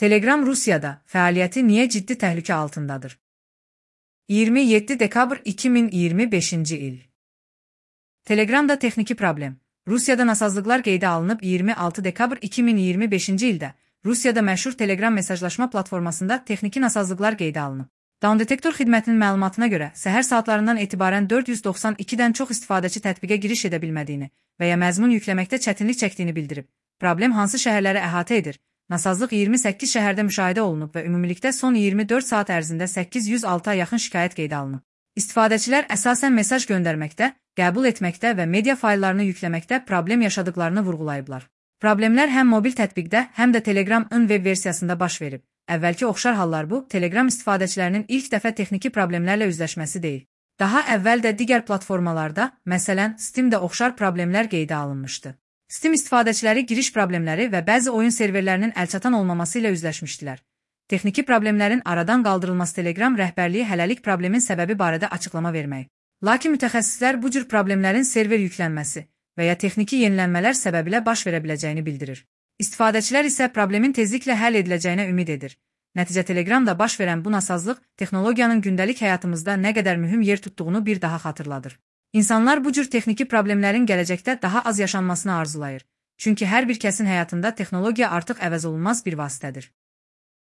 Telegram Rusiyada fəaliyyəti niyə ciddi təhlükə altındadır? 27 dekabr 2025-ci il. Telegramda texniki problem. Rusiyada nasazlıqlar qeydə alınıb 26 dekabr 2025-ci ildə Rusiyada məşhur Telegram mesajlaşma platformasında texniki nasazlıqlar qeydə alınıb. Downdetektor xidmətinin məlumatına görə səhər saatlarından etibarən 492-dən çox istifadəçi tətbiqə giriş edə bilmədiyini və ya məzmun yükləməkdə çətinlik çəkdiyini bildirib. Problem hansı şəhərləri əhatə edir? Nasazlıq 28 şəhərdə müşahidə olunub və ümumilikdə son 24 saat ərzində 806-a yaxın şikayət qeydə alınıb. İstifadəçilər əsasən mesaj göndərməkdə, qəbul etməkdə və media fayllarını yükləməkdə problem yaşadıqlarını vurğulayıblar. Problemlər həm mobil tətbiqdə, həm də Telegram ön web versiyasında baş verib. Əvvəlki oxşar hallar bu, Telegram istifadəçilərinin ilk dəfə texniki problemlərlə üzləşməsi deyil. Daha əvvəl də digər platformalarda, məsələn, Steamdə oxşar problemlər qeydə alınmışdı. Steam istifadəçiləri giriş problemləri və bəzi oyun serverlərinin əlçatan olmaması ilə üzləşmişdilər. Texniki problemlərin aradan qaldırılması Telegram rəhbərliyi hələlik problemin səbəbi barədə açıqlama vermək. Lakin mütəxəssislər bu cür problemlərin server yüklənməsi və ya texniki yenilənmələr səbəbilə baş verə biləcəyini bildirir. İstifadəçilər isə problemin tezliklə həll ediləcəyinə ümid edir. Nəticə Telegramda baş verən bu nasazlıq texnologiyanın gündəlik həyatımızda nə qədər mühüm yer tutduğunu bir daha xatırladır. İnsanlar bu cür texniki problemlərin gələcəkdə daha az yaşanmasını arzulayır. Çünki hər bir kəsin həyatında texnologiya artıq əvəzolunmaz bir vasitədir.